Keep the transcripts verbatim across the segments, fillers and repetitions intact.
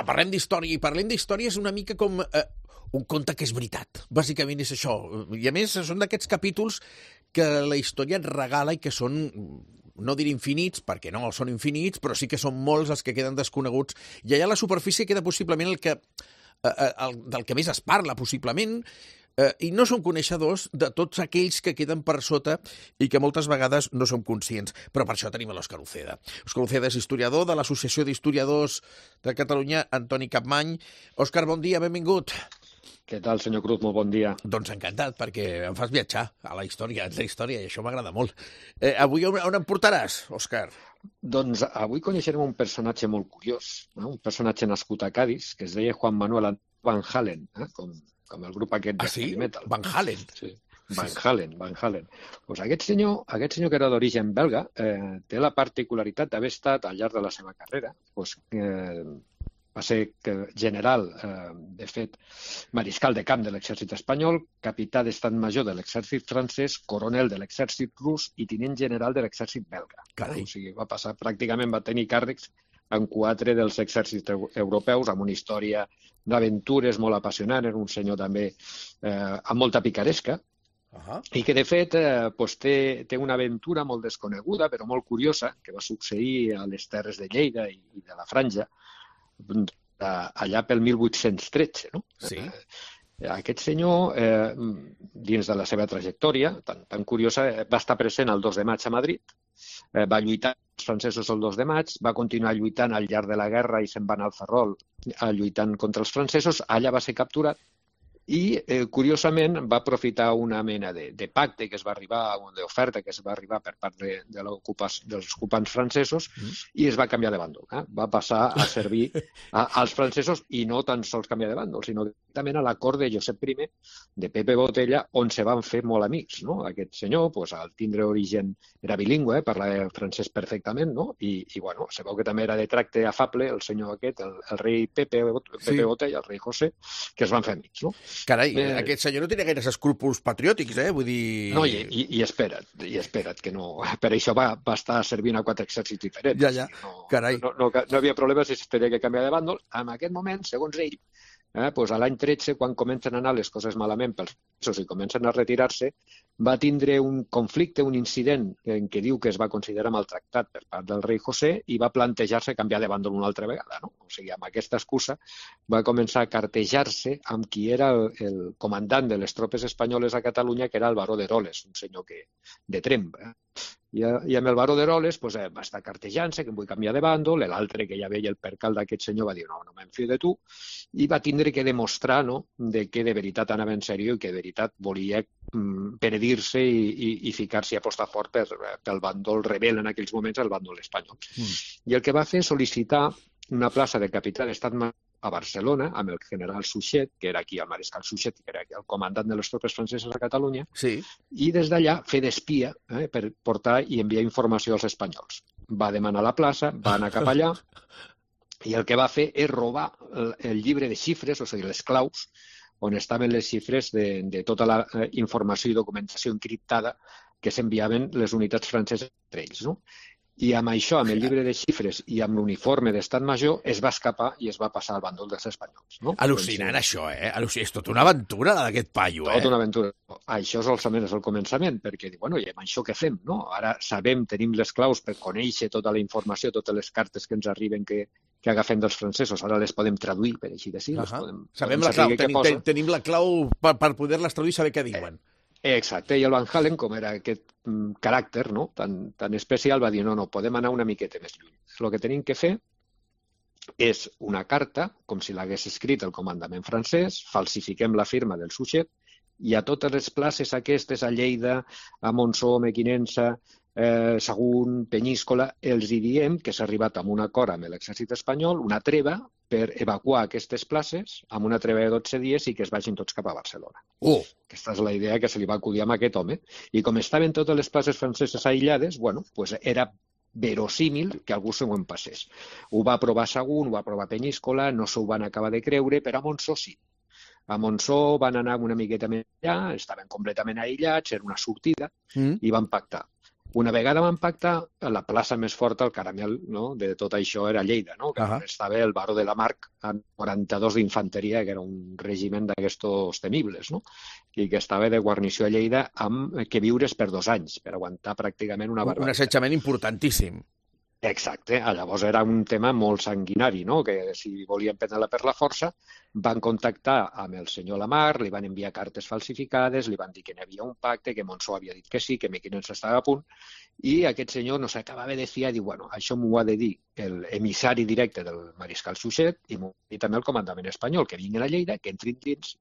parlem d'història, i parlem d'història és una mica com eh, un conte que és veritat. Bàsicament és això. I a més, són d'aquests capítols que la història et regala i que són, no diré infinits, perquè no són infinits, però sí que són molts els que queden desconeguts. I allà a la superfície queda possiblement el que, eh, el, del que més es parla, possiblement, eh, i no som coneixedors de tots aquells que queden per sota i que moltes vegades no som conscients. Però per això tenim l'Òscar Uceda. Òscar Uceda és historiador de l'Associació d'Historiadors de Catalunya, Antoni Capmany. Òscar, bon dia, benvingut. Què tal, senyor Cruz? Molt bon dia. Doncs encantat, perquè em fas viatjar a la història, a la història, i això m'agrada molt. Eh, avui on, on em portaràs, Òscar? Doncs avui coneixerem un personatge molt curiós, eh? Un personatge nascut a Cádiz, que es deia Juan Manuel Van Halen, eh? com, com el grup aquest de ah, sí? heavy metal. Van Halen? Sí. Van Halen, Van Halen. Pues aquest senyor, aquest senyor que era d'origen belga, eh, té la particularitat d'haver estat al llarg de la seva carrera, pues, eh, va ser general, eh, de fet, mariscal de camp de l'exèrcit espanyol, capità d'estat major de l'exèrcit francès, coronel de l'exèrcit rus i tinent general de l'exèrcit belga. Carai. O sigui, va passar, pràcticament va tenir càrrecs en quatre dels exèrcits europeus, amb una història d'aventures molt apassionant, era un senyor també eh, amb molta picaresca, uh-huh. i que de fet eh, pues, té, té una aventura molt desconeguda, però molt curiosa, que va succeir a les terres de Lleida i, i de la Franja, allà pel mil vuit-cents tretze. No? Sí. Aquest senyor, eh, dins de la seva trajectòria, tan, tan curiosa, va estar present el dos de maig a Madrid, eh, va lluitar els francesos el dos de maig, va continuar lluitant al llarg de la guerra i se'n va anar al Ferrol lluitant contra els francesos, allà va ser capturat i, eh, curiosament, va aprofitar una mena de, de pacte que es va arribar, d'oferta que es va arribar per part de, de dels ocupants francesos mm. i es va canviar de bàndol. Eh? Va passar a servir a, als francesos i no tan sols canviar de bàndol, sinó directament a la cort de Josep I de Pepe Botella, on se van fer molt amics. No? Aquest senyor, pues, al tindre origen, era bilingüe, eh? parlava francès perfectament, no? I, i bueno, se veu que també era de tracte afable el senyor aquest, el, el rei Pepe, Pepe sí. Botella, el rei José, que es van fer amics. No? Carai, eh, aquest senyor no tenia gaires escrúpols patriòtics, eh? Vull dir... No, i, i, i espera't, i espera't, que no... Per això va, va estar servint a quatre exèrcits diferents. Ja, ja, no, carai. No, no, no, no havia problema si es tenia que canviar de bàndol. En aquest moment, segons ell, eh, doncs a l'any tretze, quan comencen a anar les coses malament pels presos i comencen a retirar-se, va tindre un conflicte, un incident en què diu que es va considerar maltractat per part del rei José i va plantejar-se canviar de bàndol una altra vegada. No? O sigui, amb aquesta excusa va començar a cartejar-se amb qui era el, el comandant de les tropes espanyoles a Catalunya, que era el baró d'Eroles, un senyor que, de Tremp. Eh? I, I amb el baró d'Eroles pues, eh, va estar cartejant-se, que em vull canviar de bàndol, l'altre que ja veia el percal d'aquest senyor va dir no, no m'enfio de tu, i va tindre que demostrar no, de que de veritat anava en sèrio i que de veritat volia mm, penedir-se i, i, i ficar-se a apostar fort per, pel bàndol rebel en aquells moments, el bàndol espanyol. Mm. I el que va fer és sol·licitar una plaça de capità d'estat a Barcelona, amb el general Suchet, que era aquí el mariscal Suchet, que era aquí el comandant de les tropes franceses a Catalunya, sí. i des d'allà fer d'espia eh, per portar i enviar informació als espanyols. Va demanar la plaça, va anar cap allà, i el que va fer és robar el, el llibre de xifres, o sigui, les claus, on estaven les xifres de, de tota la eh, informació i documentació encriptada que s'enviaven les unitats franceses entre ells, no? I amb això, amb el llibre de xifres i amb l'uniforme d'estat major, es va escapar i es va passar al bàndol dels espanyols. No? Al·lucinant, doncs, això, eh? Al·lucinant. És tota una aventura, d'aquest paio, eh? Tota una aventura. Això solament és el començament, perquè, bueno, i amb això què fem, no? Ara sabem, tenim les claus per conèixer tota la informació, totes les cartes que ens arriben que, que agafem dels francesos. Ara les podem traduir, per així dir. Uh -huh. podem, Sabem podem la clau, tenim, ten, tenim la clau per, per poder-les traduir i saber què diuen. Eh. Exacte, i el Van Halen, com era aquest mm, caràcter no? tan, tan especial, va dir no, no, podem anar una miqueta més lluny. El que tenim que fer és una carta, com si l'hagués escrit el comandament francès, falsifiquem la firma del Suchet, i a totes les places aquestes, a Lleida, a Montsó, Mequinensa, eh, Sagunt, Penyíscola, els hi diem que s'ha arribat amb un acord amb l'exèrcit espanyol, una treva, per evacuar aquestes places amb una treva de dotze dies i que es vagin tots cap a Barcelona. Oh. Aquesta és la idea que se li va acudir a aquest home. I com estaven totes les places franceses aïllades, bueno, pues era verosímil que algú se ho en passés. Ho va provar Sagunt, ho va provar Penyíscola, no s'ho van acabar de creure, però a Montsó sí. A Montsó van anar una miqueta més allà, estaven completament aïllats, era una sortida, mm. i van pactar. Una vegada van pactar, la plaça més forta, el caramel, no?, de tot això era Lleida, no?, que uh -huh. estava el baró de la Marc amb quaranta-dos d'infanteria, que era un regiment d'aquestos temibles, no?, i que estava de guarnició a Lleida amb que viures per dos anys, per aguantar pràcticament una barbaritat. Un assetjament importantíssim. Exacte, llavors era un tema molt sanguinari, no?, que si volien prendre-la per la força, van contactar amb el senyor Lamarck, li van enviar cartes falsificades, li van dir que n'hi havia un pacte, que Monzó havia dit que sí, que Mequinensa estava a punt, i aquest senyor no s'acabava de fiar i diu, bueno, això m'ho ha de dir l'emissari directe del mariscal Suchet i m'ho ha dit també el comandament espanyol, que vinguin a Lleida, que entrin dins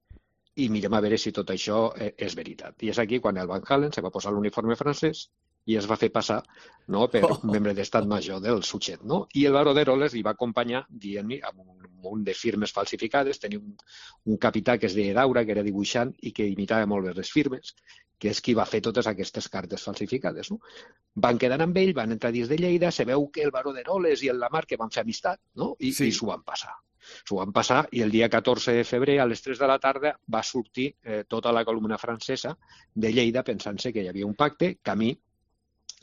i mirem a veure si tot això és veritat. I és aquí quan el Van Halen se va posar l'uniforme francès i es va fer passar, no?, per un membre d'estat major del Suchet, no? I el baró d'Eroles li va acompanyar dient-li amb un munt de firmes falsificades, tenia un, un capità que es deia Daura, que era dibuixant i que imitava molt bé les firmes, que és qui va fer totes aquestes cartes falsificades, no? Van quedar amb ell, van entrar dins de Lleida, se veu que el baró d'Eroles i el Lamarck que van fer amistat, no?, i, sí. i s'ho van passar. S'ho van passar i el dia catorze de febrer a les tres de la tarda va sortir eh, tota la columna francesa de Lleida pensant-se que hi havia un pacte, camí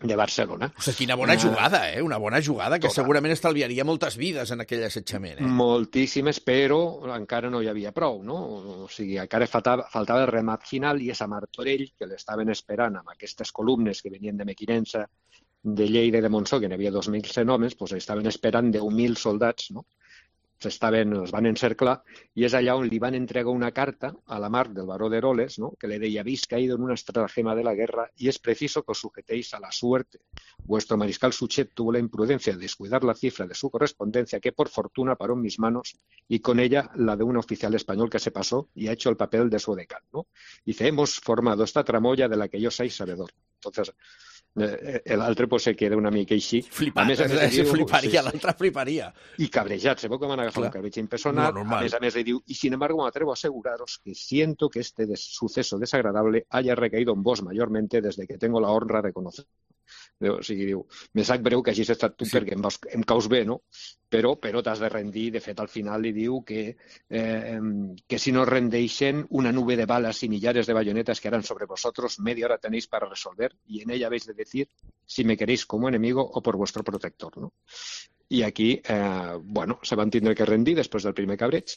de Barcelona. O sigui, quina bona jugada, eh? Una bona jugada que Total. segurament estalviaria moltes vides en aquell assetjament, eh? Moltíssimes, però encara no hi havia prou, no? O sigui, encara faltava, faltava el remat final i és a Martorell, que l'estaven esperant amb aquestes columnes que venien de Mequinensa, de Lleida i de Monzó, que n'hi havia dos mil cent homes, doncs estaven esperant deu mil soldats, no? Estaven, els van encerclar i és allà on li van entregar una carta a la Marc del baró d'Eroles, ¿no?, que le deia: habéis caído en una estratagema de la guerra y es preciso que os sujetéis a la suerte. Vuestro mariscal Suchet tuvo la imprudencia de descuidar la cifra de su correspondencia que por fortuna paró en mis manos y con ella la de un oficial español que se pasó y ha hecho el papel de su decán, ¿no? Dice: hemos formado esta tramoya de la que yo soy sabedor. Entonces, l'altre pues, se queda una mica així. Flipat, a més, a més, diu, fliparia, sí, l'altre fliparia. I cabrejat, se veu que van agafar Clar. un cabreig impersonal. No, a més a més, le diu, y sin embargo me atrevo a aseguraros que siento que este des suceso desagradable haya recaído en vos mayormente desde que tengo la honra de conocer. O sigui, diu, me sap greu que hagis estat tu sí. perquè em, vas, em caus bé, no? Però, però t'has de rendir. De fet, al final li diu que, eh, que si no rendeixen una nube de balas y millares de bayonetas que harán sobre vosotros, media hora tenéis para resolver y en ella habéis de decir si me queréis como enemigo o por vuestro protector, no? I aquí, eh, bueno, se van tindre que rendir després del primer cabreig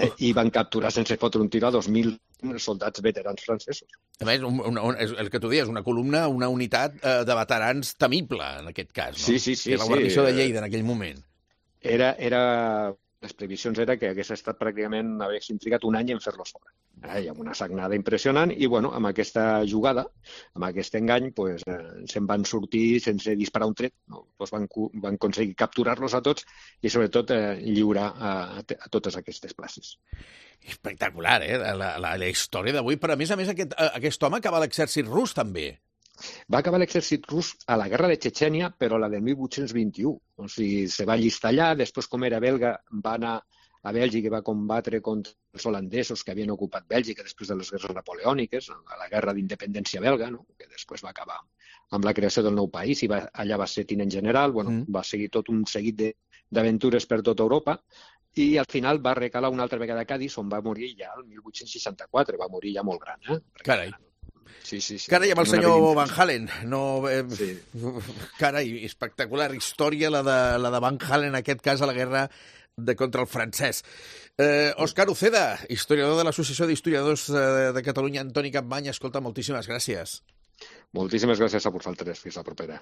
eh, i van capturar sense fotre un tir a dos mil soldats veterans francesos. A més, un, un, un, el que tu dius, una columna, una unitat eh, de veterans temible, en aquest cas, no? Sí, sí, sí. Que la guarnició sí. de Lleida en aquell moment. Era, era... Les previsions era que hagués estat pràcticament, haguessin trigat un any en fer-los fora. Eh, hi ha una sagnada impressionant i, bueno, amb aquesta jugada, amb aquest engany, pues, eh, se'n van sortir sense disparar un tret. No? Pues van, van aconseguir capturar-los a tots i, sobretot, eh, lliurar a, a totes aquestes places. Espectacular, eh? La, la, la història d'avui. Però, a més a més, aquest, aquest home acaba a l'exèrcit rus, també. Va acabar l'exèrcit rus a la guerra de Txetxènia, però la del mil vuit-cents vint-i-u. O sigui, se va allistar allà, després, com era belga, va anar a Bèlgica i va combatre contra els holandesos que havien ocupat Bèlgica després de les guerres napoleòniques, a la guerra d'independència belga, no? Que després va acabar amb la creació del nou país i va, allà va ser tinent general, bueno, mm. va seguir tot un seguit d'aventures per tota Europa i al final va recalar una altra vegada a Cádiz, on va morir ja el mil vuit-cents seixanta-quatre, va morir ja molt gran. Eh? Carai. Sí, sí, sí. Carai, amb el senyor Van Halen. No, eh, sí. Carai, espectacular història la de, la de Van Halen, en aquest cas, a la guerra de contra el francès. Eh, Òscar Uceda, historiador de l'Associació d'Historiadors de Catalunya, Antoni Capmany, escolta, moltíssimes gràcies. Moltíssimes gràcies a vosaltres. Fins la propera.